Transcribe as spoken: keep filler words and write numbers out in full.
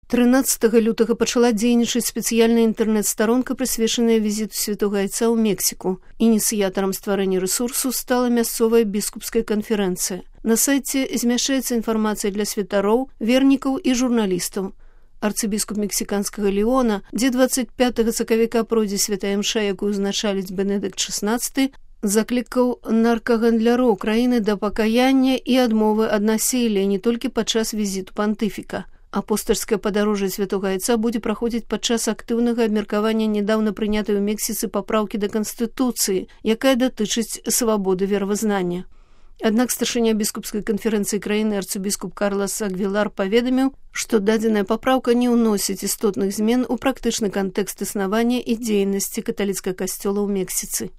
трынаццатага лютага пачала дзейнічаць спецыяльная інтэрнэт-старонка, прысвечаная візіту святога айца ў Мексіку. Ініцыятарам стварэння рэсурсу стала мясцовая біскупская канферэнцыя. На сайце змяшчаецца інфармацыя для святароў, вернікаў і журналістаў. Арцыбіскуп мексіканскага Леона, дзе дваццаць пятага сакавіка пройдзе святая імша, якую узначаліць Бенедыкт шаснаццаты, заклікаў наркагандляроў краіны да пакаяння і адмовы ад насілля не толькі падчас візіту пантыфіка. Апостальскае падарожжа святога айца будзе праходзіць падчас актыўнага абмеркавання нядаўна прынятай у Мексіцы папраўкі да Канстытуцыі, якая датычыць свабоды веравызнання. Аднак старшыня біскупскай канферэнцыі краіны арцыбіскуп Карлас Агвілар паведаміў, што дадзеная папраўка не ўносіць істотных змен у практычны кантэкст існавання і дзейнасці каталіцкага касцёла ў Мексіцы.